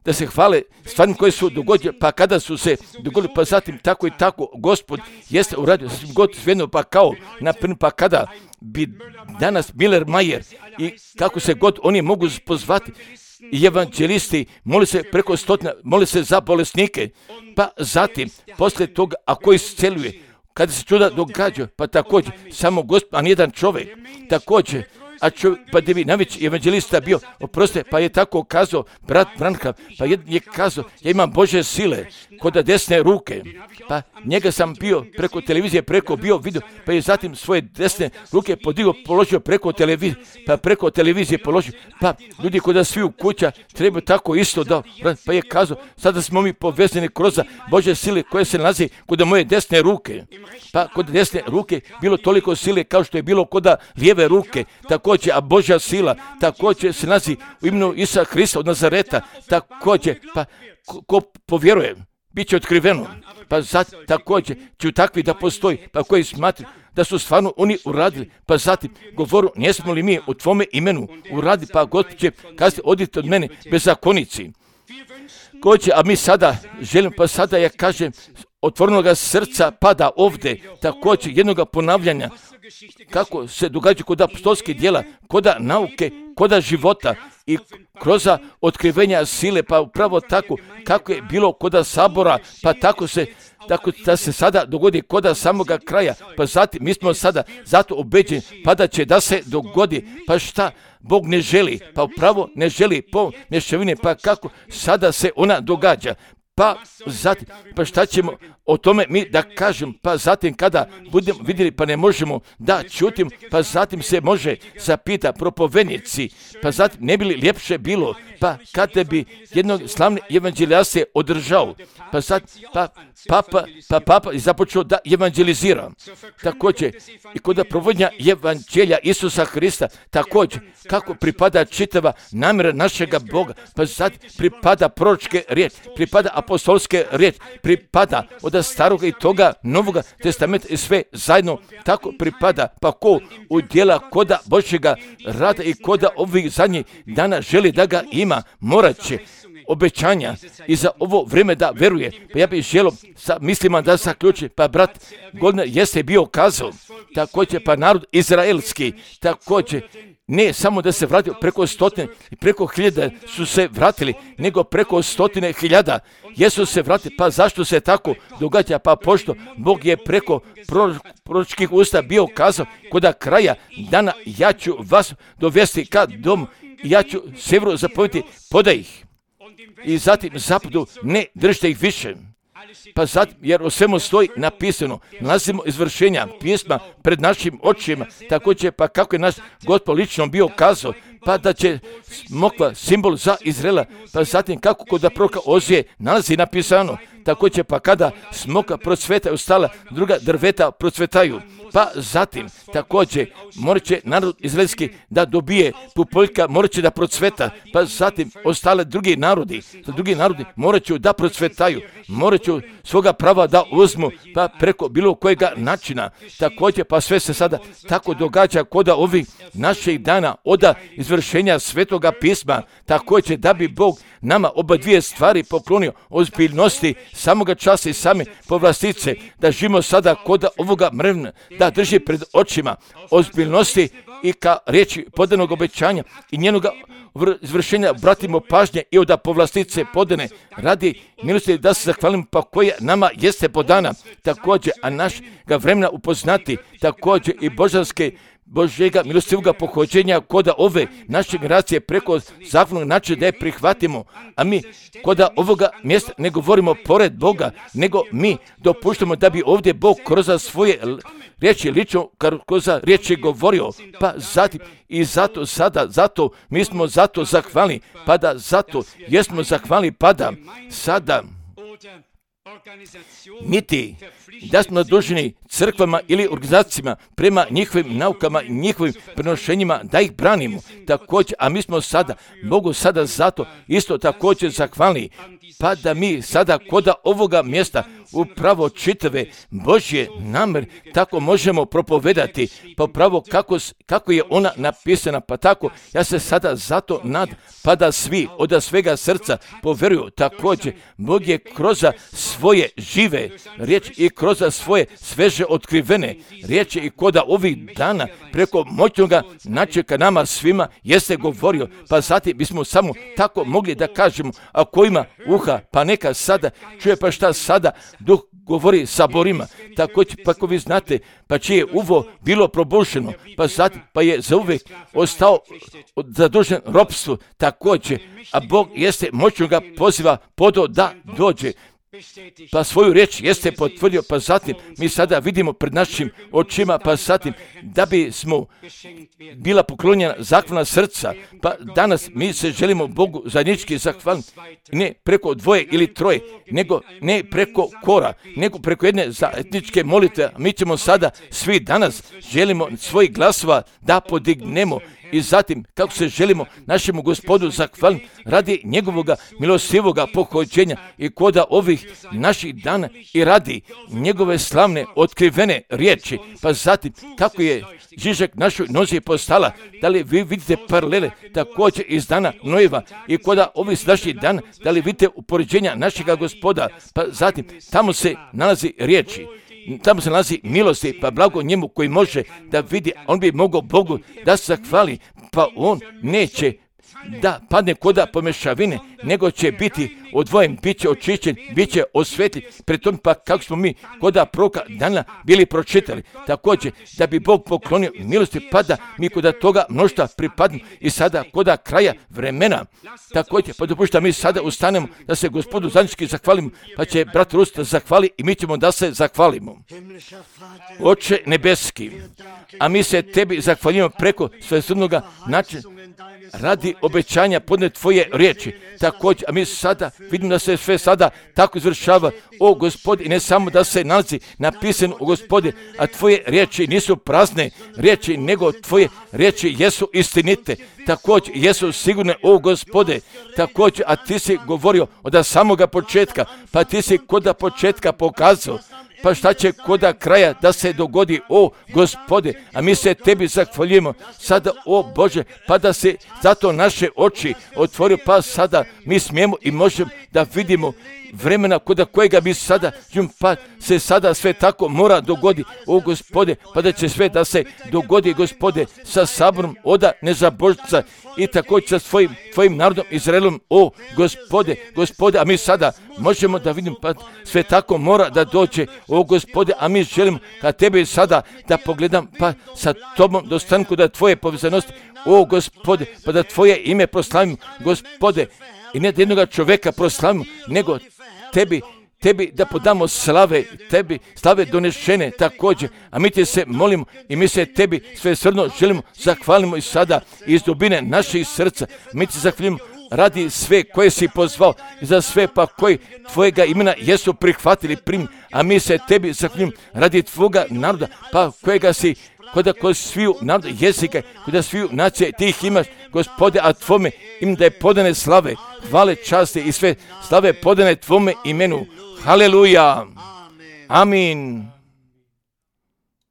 da se hvale stvarima koje su dogodile, pa kada su se dogodili, pa zatim tako i tako Gospod jeste uradio god svejedno, pa kao naprimjer, pa kada bi danas Miller Mayer i kako se god oni mogu pozvati i evanđelisti, moli se preko stotina, moli se za bolesnike, pa zatim poslije toga ako isceljuje, kada se čuda događa, pa također samo Gospod, a nijedan čovjek, također, pa da bi najveći evanđelista bio, oproste, pa je tako kazao brat Branham, pa je kazao, ja imam Božje sile kod desne ruke, pa njega sam bio preko televizije, bio vidio, pa je zatim svoje desne ruke podigao, položio preko televizije, pa preko televizije položio, pa ljudi kod svi u kuća trebaju tako isto da, pa je kazao, sada smo mi povezani kroz Božje sile koje se nalazi kod moje desne ruke, pa kod desne ruke bilo toliko sile kao što je bilo kod lijeve ruke, također, a Božja sila također se nalazi u imenu Isusa Hrista od Nazareta, također, pa ko povjeruje, bit će otkriveno, pa također će takvi da postoji, pa koji smatruju da su stvarno oni uradili, pa zatim govoru, nismo li mi u tvome imenu uradili, pa Gospod će kazati, odite od mene, bezakonici. A mi sada želimo, pa sada ja kažem, otvorenoga srca pada ovdje, također jednoga ponavljanja, kako se događa kod apostolskih djela, kod nauke, kod života i kroz otkrivenja sile, pa upravo tako kako je bilo kod sabora, pa tako da se sada dogodi kod samoga kraja, pa zatim mi smo sada zato obeđeni, pa da će da se dogodi, pa šta Bog ne želi, pa upravo ne želi po mješavine, pa kako sada se ona događa. Pa zatim, pa šta ćemo o tome mi da kažem, pa zatim kada budemo vidjeli, pa ne možemo da čutim, pa zatim se može zapita propovednici, pa zatim ne bi li ljepše bilo, pa kada bi jednog slavni evanđelja se održao, pa zatim, papa je započeo da evanđelizira, također i kod provođenja evanđelja Isusa Hrista, također kako pripada čitava namjera našega Boga, pa zatim pripada proročke riječ, pripada apostolske riječ, pripada od staroga i toga novoga testamenta i sve zajedno tako pripada, pa ko u djela koda Božjega rada i koda ovih zadnjih dana želi da ga ima, morat će obećanja i za ovo vrijeme da veruje. Pa ja bih želio sa mislima da zaključi, pa brat Goldner jeste bio kazao, također pa narod izraelski, također ne samo da se vratio, preko stotine i preko hiljada su se vratili, nego preko stotine hiljada jesu se vratili. Pa zašto se tako događa? Pa pošto Bog je preko proročkih usta bio kazao, kod kraja dana ja ću vas dovesti ka domu, ja ću sjeveru zapovjediti, podaj ih. I zatim zapadu, ne držite ih više. Pa zatim, jer o svemu stoji napisano, nalazimo izvršenja pisma pred našim očima, također pa kako je naš Gospod lično bio kazao, pa da će smokva simbol za Izraela, pa zatim kako kod proroka Ozije nalazi napisano, također pa kada smokva procveta ostala, druga drveta procvetaju. Pa zatim, također, morat će narod izraelski da dobije pupoljka, morat će da procveta, pa zatim ostale drugi narodi morat će da procvetaju, morat će svoga prava da uzmu, pa preko bilo kojega načina. Također, pa sve se sada tako događa kod ovih naših dana od izvršenja Svetoga pisma, također da bi Bog nama oba dvije stvari poklonio, ozbiljnosti samoga časa i same povlastice, da živimo sada kod ovoga mrvna, da drži pred očima ozbiljnosti i ka riječi podanog obećanja i njenoga izvršenja obratimo pažnje i od povlastice podane radi milosti da se zahvalimo pa koja nama jeste podana, također, a naš ga vremena upoznati, također i Božjega milostivoga pohođenja kod ove naše generacije preko zahvalnog načina da je prihvatimo, a mi kod ovoga mjesta ne govorimo pored Boga, nego mi dopuštamo da bi ovdje Bog kroz svoje riječi lično, kroz riječi govorio, pa zatim i zato mi smo zato zahvalni, pa da zato jesmo zahvalni, pa da sada niti da smo naduženi crkvama ili organizacijama prema njihovim naukama i njihovim prenošenjima da ih branimo. Također, a mi smo sada, Bogu sada zato isto također zahvalni, pa da mi sada kod ovoga mjesta upravo čitave Božje namjere tako možemo propovedati, pa upravo kako je ona napisana, pa tako ja se sada zato nadam, pa da svi od svega srca poveruju. Također, Bog je kroz svoje žive riječi i kroz svoje sveže otkrivene riječi i kod ovih dana preko moćnoga načeka nama svima jeste govorio, pa zatim bismo samo tako mogli da kažemo, a ko ima uha, pa neka sada čuje, pa šta sada Duh govori saborima. Također, pa ako vi znate, pa čije je uvo bilo probušeno, pa zatim pa je zauvijek ostao zadužen ropstvu, također, a Bog jeste moćno ga poziva podo da dođe, pa svoju riječ jeste potvrdio, pa zatim mi sada vidimo pred našim očima, pa zatim da bi smo bila poklonjena zahvalna srca, pa danas mi se želimo Bogu zajednički zahvaliti, ne preko dvoje ili troje, nego ne preko kora, nego preko jedne zajedničke molitve. Mi ćemo sada svi danas želimo svojih glasova da podignemo i zatim kako se želimo našemu Gospodu zahvaliti radi njegovoga milostivoga pohođenja i koda ovih naših dana i radi njegove slavne otkrivene riječi, pa zatim kako je Žižak našoj nozi postala, da li vi vidite paralele također iz dana Nojeva i koda ovih naših dana, da li vidite upoređenja našega Gospoda, pa zatim tamo se nalazi riječi, tamo se nalazi milosti, pa blago njemu koji može da vidi, on bi mogao Bogu da se zahvali, pa on neće da padne koda pomešavine, nego će biti odvojen, bit će očišćen, bit će osvetljen. Pri tom pa kako smo mi koda proroka dana bili pročitali, također da bi Bog poklonio milosti, pa da mi koda toga mnoštva pripadnemo i sada koda kraja vremena. Također pa dopušta mi sada ustanemo da se Gospodu zajednički zahvalimo, pa će brat Rus da zahvali i mi ćemo da se zahvalimo. Oče nebeski, a mi se tebi zahvaljujemo preko svesrdnoga načina radi obećanja podne tvoje riječi. Također, a mi sada vidimo da se sve sada tako izvršava, o Gospodi, i ne samo da se nalazi napisano o Gospodi, a tvoje riječi nisu prazne riječi, nego tvoje riječi jesu istinite. Također, jesu sigurne, o Gospode, također, a ti si govorio od samoga početka, pa ti si kod početka pokazao pa šta će koda kraja da se dogodi, o Gospode, a mi se tebi zahvaljujemo sada, o Bože, pa da se zato naše oči otvori, pa sada mi smijemo i možemo da vidimo vremena kod kojega bi sada, pa se sada sve tako mora dogodi, o Gospode, pa da će sve da se dogodi, Gospode, sa saborom oda nezabožca i također sa tvojim narodom Izraelom, o Gospode, a mi sada možemo da vidimo, pa sve tako mora da dođe, o Gospode, a mi želimo ka tebi sada da pogledam, pa sa tobom dostanku da tvoje povezanosti, o Gospode, pa da tvoje ime proslavimo, Gospode, i ne da jednoga čoveka proslavimo, nego tebi da podamo slave, tebi slave donešene također, a mi te se molimo i mi se tebi sve srdno želimo, zahvalimo i sada iz dubine naših srca, mi te zahvalimo radi sve koje si pozvao i za sve pa koji tvojega imena jesu prihvatili, a mi se tebi zahvalimo radi tvoga naroda, pa kojega si kod sviju naroda jezika, kod sviju nacije ti ih imaš, Gospode, a tvome im da je podane slave, hvale, časti i sve slave podane tvome imenu. Haleluja. Amin.